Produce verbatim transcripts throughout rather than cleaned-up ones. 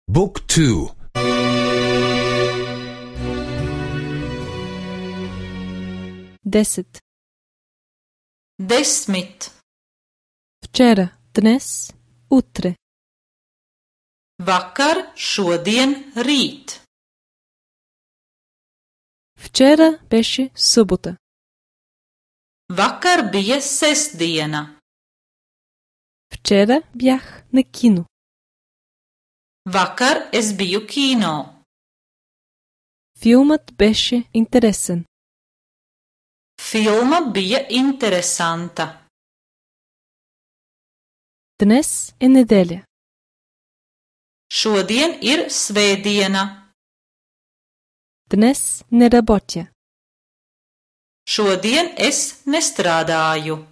Book two. Десет. Desmit. Вчера, днес, утре. Vakar, šodien, rīt. Вчера беше събота. Vakar bija sestdiena. Вчера бях на кино. Vakar es biju kino. Филмът беше интересен. Filma bija interesanta. Днес е неделя. Šodien ir svētdiena. Днес не работя. Šodien es nestrādāju.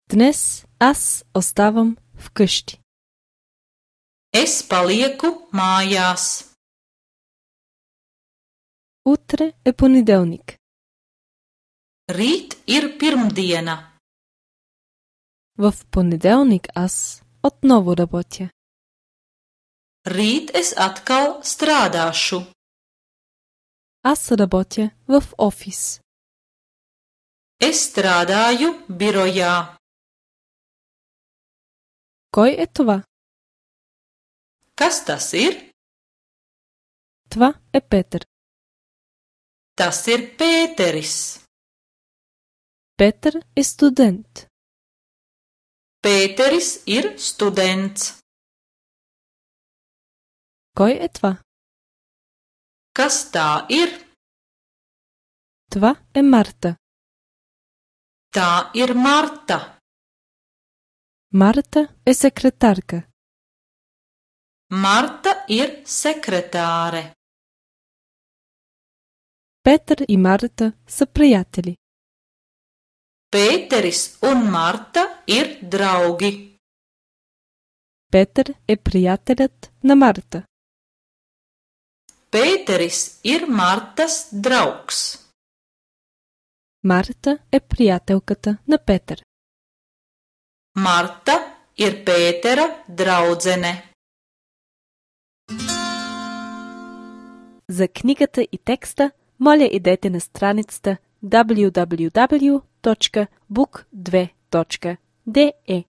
Днес аз оставам вкъщи. Es palieku mājās. Утре е понеделник. Rīt ir pirmdiena. В понеделник аз отново работя. Rīt es atkal strādāšu. Аз работя в офис. Es strādāju birojā. Кой е това? Kas tas ir? Това е Петър. Tas ir Pēteris. Петър е студент. Pēteris ir students. Кой е това? Kas tā ir? Това е Марта. Tā ir Marta. Марта е секретарка. Marta ir sekretāre. Петър и Марта са приятели. Pēteris un Marta ir draugi. Петър е приятелят на Марта. Pēteris ir Martas draugs. Марта е приятелката на Петър. Marta ir Pētera draudzene. За книгата и текста, моля идете на страницата дабълю дабълю дабълю точка бук две точка де е.